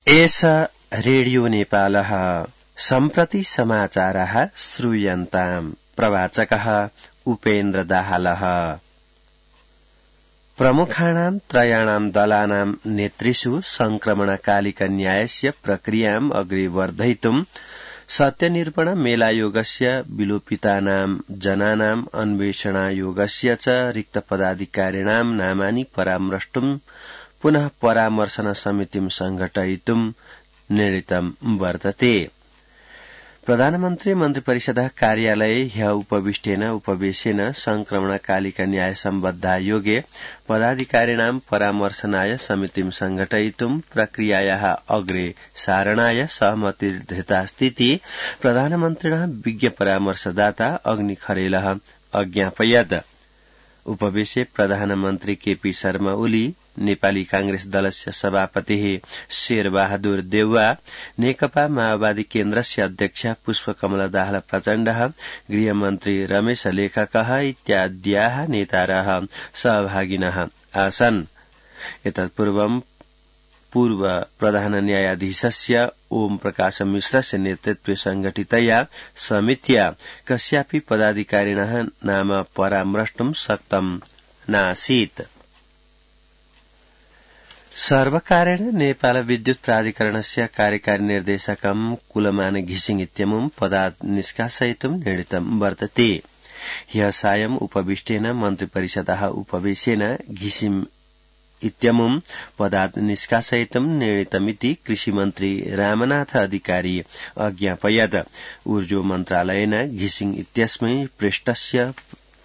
एष रेडियो नेपालः सम्प्रति समाचारः श्रूयन्ताम्। प्रवाचकः उपेन्द्र दाहालः। प्रमुखाणां त्रयाणां दलानां नेतृषु संक्रमणकालिक न्यायस्य प्रक्रियाम् अग्रे वर्धयितुं सत्यनिरूपण मेलायोगस्य विलोपितानां जनानां अन्वेषणायोगस्य च रिक्तपदाधिकारिणां नामानि परामृष्टुं पुनः परामर्शन समितिं संघटयितुं निर्णीतं वर्तते। प्रधानमन्त्री मन्त्रिपरिषदः कार्यालये ह्यः उपवेशेन संक्रमणकालिक न्याय सम्बद्धायोगे पदाधिकारिणां परामर्शनाय समितिं संघटयितुं प्रक्रियायाः अग्रे सारणाय सहमतिर्धृतास्तीति प्रधानमन्त्रिणः विज्ञ परामर्शदाता अग्निखरेलः अज्ञापयत्। उपवेशे प्रधानमन्त्री केपी शर्मा ओली, नेपाली कांग्रेस दलस्य सभापतिः शेरबहादुर देउवा, नेकपा माओवादी केन्द्रस्य अध्यक्ष पुष्पकमल दाहाल प्रचण्डः, गृहमन्त्री रमेश लेखकः इत्याद्याः नेतारः सहभागिनः आसन्। एतत्पूर्वं पूर्व प्रधान न्यायाधीशस्य ओम प्रकाश मिश्रस्य नेतृत्वे संघटितया समित्या कस्यापि पदाधिकारिणः नाम परामृष्टुं शक्तं नासीत्। सर्वकारेण नेपाल विद्युत प्राधिकरणस्य कार्यकारी निर्देशकं कुलमान घिसिङ इत्यमुं पदात् निष्कासयितुं निर्णीतं वर्तते। ह्यः सायं उपविष्टेन मन्त्रिपरिषदः उपवेशेन घिसिङ इत्यमुं पदात् निष्कासयितुं निर्णीतमिति कृषिमन्त्री रामनाथ अधिकारी अज्ञापयत्। ऊर्जो मन्त्रालयेन घिसिङ इत्यस्मै पृष्टस्य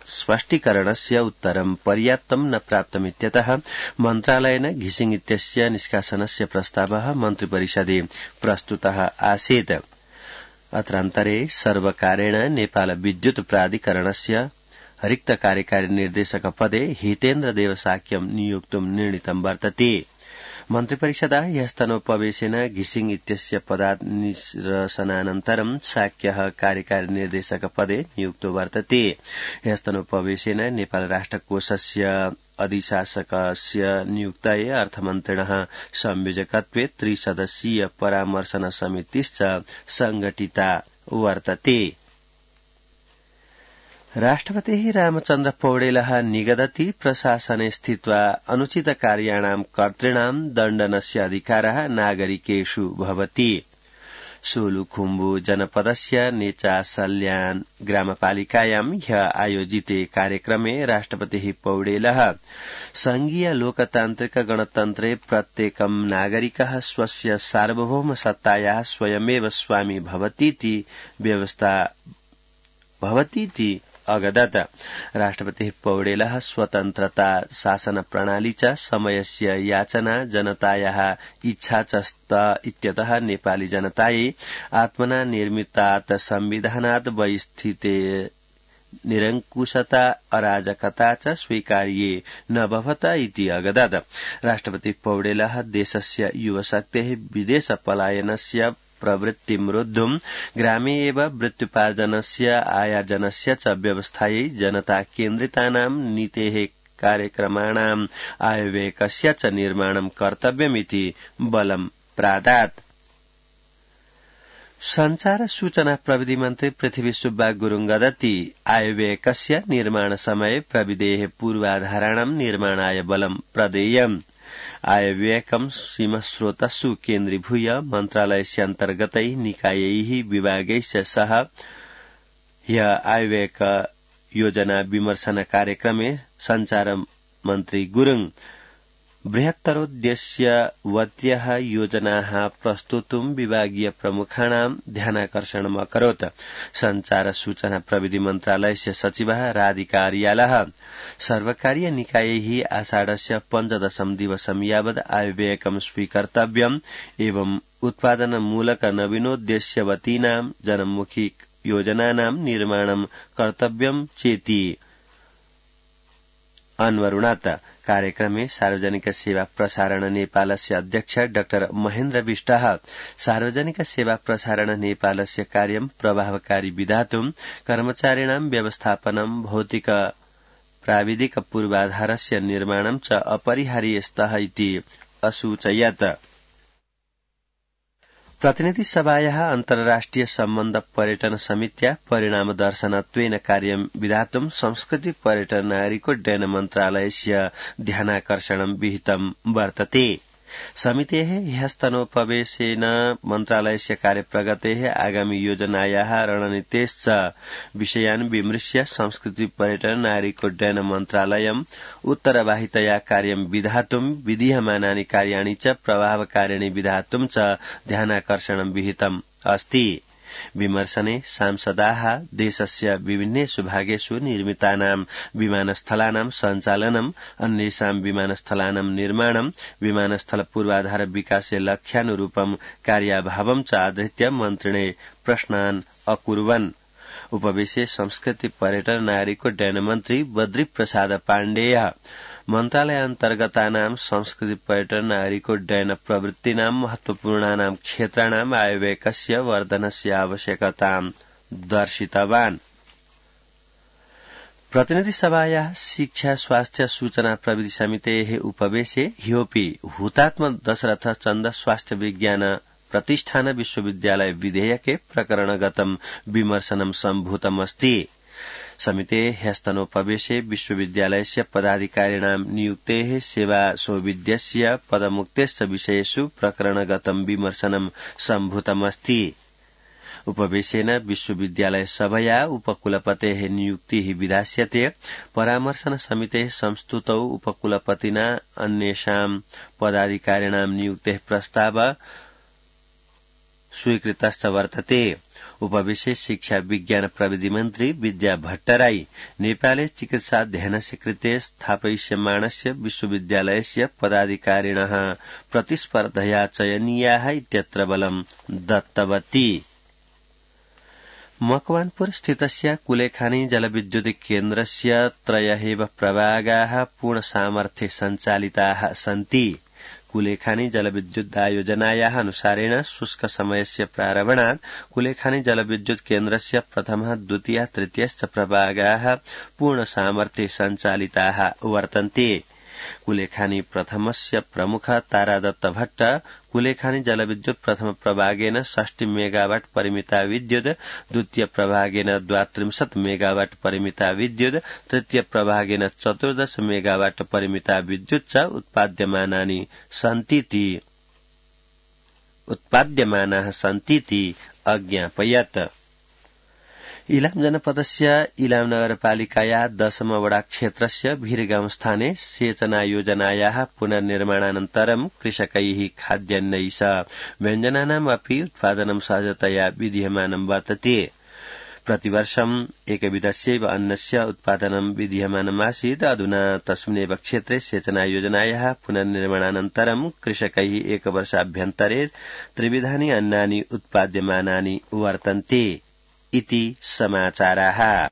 स्पष्टीकरणस्य उत्तरं पर्याप्तं न प्राप्तमित्यतः मन्त्रालयेन घिसिङ इत्यस्य निष्कासनस्य प्रस्तावः मन्त्रिपरिषदे प्रस्तुतः आसीत्। अत्रान्तरे सर्वकारेण नेपाल विद्युत प्राधिकरणस्य रिक्त कार्यकारी निर्देशक पदे हितेन्द्र देवसाक्यं नियोक्तुं निर्णीतं वर्तते। मन्त्रिपरिषदः ह्यस्तनोपवेशेन घिसिङ इत्यस्य पदात् निरसनानन्तरं साक्यः कार्यकारी निर्देशक पदे नियुक्तो वर्तते। ह्यस्तनोपवेशेन नेपाल राष्ट्रकोषस्य अधिशासकस्य नियुक्तये अर्थमन्त्रिणः संयोजकत्वे त्रिसदस्यीय परामर्शन समितिश्च संघटिता वर्तते। राष्ट्रपतिः रामचन्द्र पौडेलः निगदति प्रशासने स्थित्वा अनुचितकार्याणां कर्तॄणां दण्डनस्य अधिकारः नागरिकेषु भवति। सोलुखुम्बु जनपदस्य नेचासल्यान ग्रामपालिकायां ह्यः आयोजिते कार्यक्रमे राष्ट्रपतिः पौडेलः संघीय लोकतान्त्रिक गणतन्त्रे प्रत्येकं नागरिकः स्वस्य सार्वभौम सत्तायाः स्वयमेव स्वामी भवतीति व्यवस्था भवतीति अगदत्। राष्ट्रपतिः पौडेलः स्वतन्त्रता शासन प्रणाली च समयस्य याचना जनतायाः इच्छा च स्त इत्यतः नेपाली जनतायै आत्मना निर्मितात् संविधानात् बहिस्थिते निरङ्कुशता अराजकता च स्वीकार्ये न भवत इति अगदत्। राष्ट्रपतिः पौडेलः देशस्य युवशक्तेः विदेश पलायनस्य प्रवृत्तिं रोद्धुं ग्रामे एव वृत्त्युपार्जनस्य आयार्जनस्य च व्यवस्थायै जनता केन्द्रितानां नीतेः कार्यक्रमाणाम् आयव्ययकस्य च निर्माणं कर्तव्यमिति बलं प्रादात्। संचार सूचना प्रविधि मन्त्री पृथ्वी सुब्बा गुरुङ गदति आयव्ययकस्य निर्माण समये प्रविधेः पूर्वाधाराणां निर्माणाय बलं प्रदेयम्। आयव्ययकं सीमस्रोतस्सु केन्द्रीभूय मन्त्रालयस्यान्तर्गतैः निकायैः विभागैश्च सह ह्यः आयव्ययक योजना विमर्शन कार्यक्रमे संचार मन्त्री गुरुङ बृहत्तरोद्देश्यवत्यः योजनाः प्रस्तुतुं विभागीय प्रमुखाणां ध्यानाकर्षणम् अकरोत्। संचार सूचना प्रविधि मन्त्रालयस्य सचिवः राधिका आर्यालः सर्वकारीय निकायैः आषाढस्य 15 दिवसं यावत् आयव्ययकं स्वीकर्तव्यम् एवं उत्पादनमूलक नवीनोद्देश्यवतीनां जनमुखी योजनानां निर्माणं कर्तव्यं चेति अन्वरुणात्। कार्यक्रमे सार्वजनिक सेवा प्रसारण नेपालस्य अध्यक्ष डाक्टर महेन्द्र विष्टः सार्वजनिक सेवा प्रसारण नेपालस्य कार्यं प्रभावकारी विधातुं कर्मचारिणां व्यवस्थापनं भौतिक प्राविधिक पूर्वाधारस्य निर्माणं च अपरिहार्य स्तः इति असूचयत्। प्रतिनिधि सभायाः अन्तर्राष्ट्रिय सम्बन्ध पर्यटन समित्या परिणामदर्शनत्वेन कार्यं विधातुं संस्कृति पर्यटन नागरिकोड्डयन मन्त्रालयस्य ध्यानाकर्षणं विहितं वर्तते। समितेः ह्यस्तनोपवेशेन मन्त्रालयस्य कार्यप्रगतेः आगामि योजनायाः रणनीतेश्च विषयान् विमृश्य संस्कृति पर्यटन नागरिकोड्डयन मन्त्रालयम् उत्तरवाहितया कार्यं विधातुं विधीयमानानि कार्याणि च प्रभावकारिणि विधातुं च ध्यानाकर्षणं विहितम् अस्ति। विमर्शने सांसदाः देशस्य विभिन्नेषु भागेषु निर्मितानां विमानस्थलानां सञ्चालनम्, अन्येषां विमानस्थलानां निर्माणं, विमानस्थल पूर्वाधार विकासे लक्ष्यानुरूपं कार्याभावं च आधृत्य मन्त्रिणे प्रश्नान् अकुर्वन्। उपवेशे संस्कृति पर्यटन नागरिकोड्डयन मन्त्री बद्री प्रसाद पाण्डेय मन्त्रालयान्तर्गतानां संस्कृति पर्यटन नागरिकोड्डयन प्रवृत्तीनां महत्वपूर्णानां क्षेत्राणाम् आयव्ययस्य वर्धनस्य आवश्यकतां दर्शितवान्। प्रतिनिधिसभायाः शिक्षा स्वास्थ्य सूचना प्रविधि समितेः उपवेशे ह्योपि हुतात्म दशरथ चन्द स्वास्थ्य विज्ञान प्रतिष्ठान विश्वविद्यालय विधेयके प्रकरणगतं विमर्शनं सम्भूतमस्ति। समितेः ह्यस्तनोपवेशे विश्वविद्यालयस्य पदाधिकारिणां नियुक्तेः सेवा सौविध्यस्य पदमुक्तेश्च विषयेषु प्रकरणगतं विमर्शनं सम्भूतमस्ति। उपवेशेन विश्वविद्यालय सभया उपकुलपतेः नियुक्तिः विधास्यते। परामर्शन समितेः संस्तुतौ उपकुलपतिना अन्येषां पदाधिकारिणां नियुक्तेः प्रस्ताव स्वीकृतश्च वर्तते। उपवेशे शिक्षा विज्ञान प्रविधि मन्त्री विद्या भट्टराई नेपाले चिकित्साध्ययनस्य कृते स्थापयिष्यमाणस्य विश्वविद्यालयस्य पदाधिकारिणः प्रतिस्पर्धया चयनीयाः इत्यत्र बलं दत्तवती। मकवानपुर स्थितस्य कुलेखानी जलविद्युत केन्द्रस्य त्रयः प्रभागाः पूर्णसामर्थ्ये सञ्चालिताः सन्ति। कुलेखानी जलविद्युदायोजनायाः अनुसारेण शुष्क समयस्य प्रारम्भात् कुलेखानी जलविद्युत केन्द्रस्य प्रथमः द्वितीयः तृतीयश्च प्रभागाः पूर्णसामर्थ्ये सञ्चालिताः वर्तन्ते। कुलेखानी प्रथमस्य प्रमुख तारादत्त भट्ट कुलेखानी जलविद्युत प्रथम प्रभागेन 60 मेगावाट परिमिता विद्युत्, द्वितीय प्रभागेन 32 मेगावाट परिमिता विद्युत्, तृतीय प्रभागेन 14 मेगावाट परिमिता विद्युत् च उत्पाद्यमानाः सन्तीति अज्ञापयत्। इलाम जनपदस्य इलाम नगरपालिकाया 10 वडा क्षेत्रस्य भिरगाउँ स्थाने सेचना योजनायाः पुनर्निर्माणानन्तरं कृषकैः खाद्यान्नैः व्यञ्जनानाम् अपि उत्पादनं सहजतया विधीयमानं वर्तते। प्रतिवर्षम् एकविधस्यैव अन्नस्य उत्पादनं विधीयमानमासीत्। अधुना तस्मिन्नेव क्षेत्रे सेचना योजनायाः पुनर्निर्माणानन्तरं कृषकैः एकवर्षाभ्यन्तरे त्रिविधानि अन्नानि उत्पाद्यमानानि वर्तन्ते इति समाचाराः।